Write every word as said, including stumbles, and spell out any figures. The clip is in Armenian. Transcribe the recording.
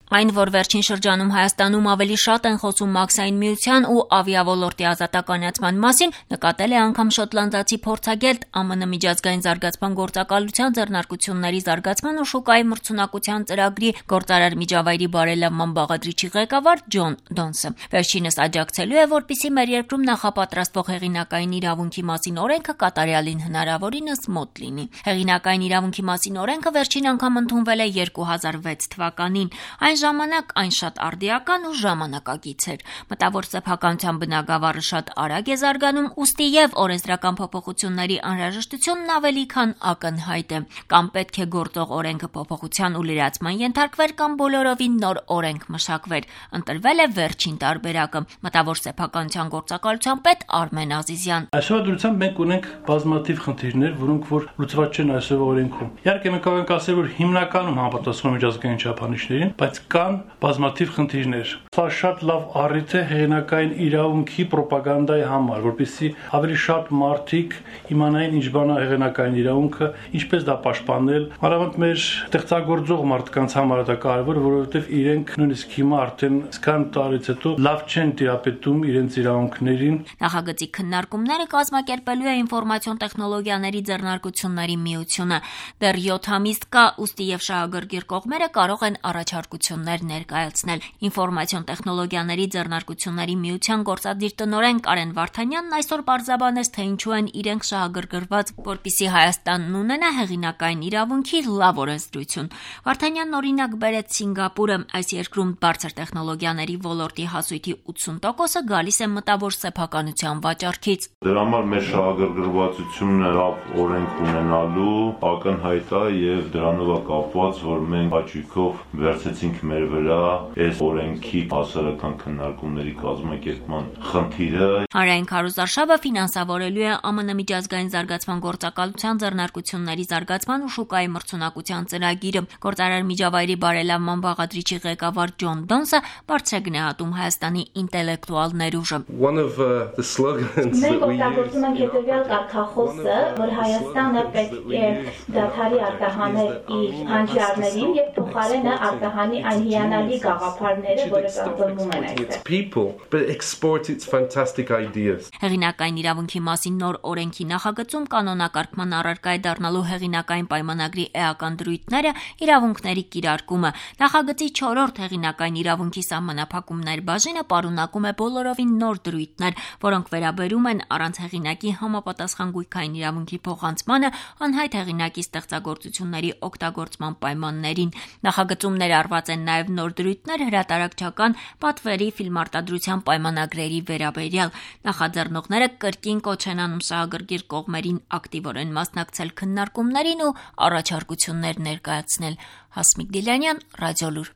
Այն, որ վերջին շրջանում Հայաստանում ավելի շատ են խոսում մաքսային միության ու ավիաոլորտի ազատականացման մասին, նկատել է անգամ շոտլանդացի փորձագետ ԱՄՆ միջազգային զարգացման գործակալության ձեռնարկությունների զարգացման ու շուկայի մրցունակության ծրագրի գործարար միջավայրի բարելավման բաղադրիչի ղեկավար Ջոն Դոնսը։ Վերջինս աջակցելու է, որպեսզի մեր երկրում նախապատրաստվող հեղինակային իրավունքի մասին օրենքը կատարյալին հնարավորինս մոտ լինի։ Հեղինակային իրավունքի մասին օրենքը վերջին անգամ ընդունվել է երկու հազար վեց թվականին։ Այն ժամանակ այն շատ արդիական ու ժամանակակից էր։ Մտավոր սեփականության բնագավառը շատ արագ է զարգանում, ուստի եւ օրենսդրական փոփոխությունների անհրաժեշտությունն ավելի քան ակնհայտ է։ Կամ պետք է գործող օրենքը փոփոխության ու լրացման ենթարկվեր, կամ բոլորովին նոր օրենք մշակվեր։ Ընտրվել է վերջին տարբերակը։ Մտավոր սեփականության գործակալության պետ Արմեն Ազիզյան։ Այսօր դրությամբ մենք ունենք բազմաթիվ խնդիրներ, որոնք որ լուծված չեն այսօր օրենքում։ Իհարկե մենք կարող ենք ասել, որ հիմնականում համապատասխանում միջազգային չափանիշներին, բայց կան բազմաթիվ խնդիրներ։ Սա շատ լավ առիթ է հեղինակային իրավունքի ռոպագանդայի համար, որպեսզի ավելի շատ մարդիկ իմանային ինչ բան է հեղինակային իրավունքը, ինչպես դա պաշտպանել։ Մանավանդ մեր ստեղծագործող մարդկանց համար դա կարևոր, որովհետև իրենք նույնիսկ հիմա արդեն սկան տարից հետո լավ չեն տիրապետում իրենց իրավունքներին։ Նախագծի քննարկումները կազմակերպելու է ինֆորմացիոն տեխնոլոգիաների ձեռնարկությունների միությունը։ Դեռ յոթ ամիս կա, ուստի եւ շահագրգիռ կողմերը կարող են առաջարկություններ ներկայացնել։ Ինֆորմացիոն տեխնոլոգիաների ձեռնարկությունների միության գործադիր տնօրեն Կարեն Վարդանյանն այսօր պարզաբանեց, թե ինչու են իրենք շահագրգռված, որպեսզի Հայաստանն ունենա հեղինակային իրավունքի լավ օրենսդրություն։ Վարդանյանն օրինակ բերեց Սինգապուրը։ Այս երկրում բարձր տեխնոլոգիաների ոլորտի հասույթի ութսուն տոկոսը գալիս է մտավոր սեփականության վաճառքից։ Դրա համար մեր շահագրգռվածությունը լավ օրենք ունենալու ակնհայտ է եւ դրանով է կապված, որ մենք հաճույքով վերցեցինք մեր վրա այս օրենքի հասարակական քննարկումների կազմակերպման խնդիրը։ Հանրային քարոզարշավը ֆինանսավորելու է ԱՄՆ միջազգային զարգացման գործակալության ձեռնարկությունների զարգացման ու շուկայի մրցունակության ծրագիրը։ Գործարար միջավայրի բարելավման բաղադրիչի ղեկավար Ջոն Դոնսը բարձր է գնահատում Հայաստանի ինտելեկտուալ ներուժը։ Մենք օգտագործում ենք հետևյալ կարգախոսը, որ Հայաստանը պետք է դադարի արտահանել իր հանճարներին եւ փոխարենը արտահանի այն հիանալի գաղափարները, որը կազմվում են այստեղ։ Հեղինակային իրավունքի մասին նոր օրենքի նախագծում կանոնակարգման առարկա է դառնալու հեղինակային պայմանագրի էական դրույթները, իրավունքների կիրարկումը։ Նախագծի չորրորդ հեղինակային իրավունքի սահմանափակումներ բաժինը պարունակում է բոլորովին նոր դրույթներ, որոնք վերաբերում են առանց հեղինակի համապատասխան գույքային իրավունքի փոխանցմանը, անհայտ հեղինակի ստեղծագործությունների օգտագործման պայմաններին։ Նախագծում ներառված են նաև նոր դրույթներ հրատարակչական պատվերի ֆիլմարտադրության պայմանագրերի վերաբերյալ։ Նախաձեռնողները կրկին կոչ են անում շահագրգիռ կողմերին ակտիվորեն մասնակցել քննարկումներին ու առաջարկություններ ներկայացնել։ Հասմիկ Դիլյանյան, Ռադիոլուր։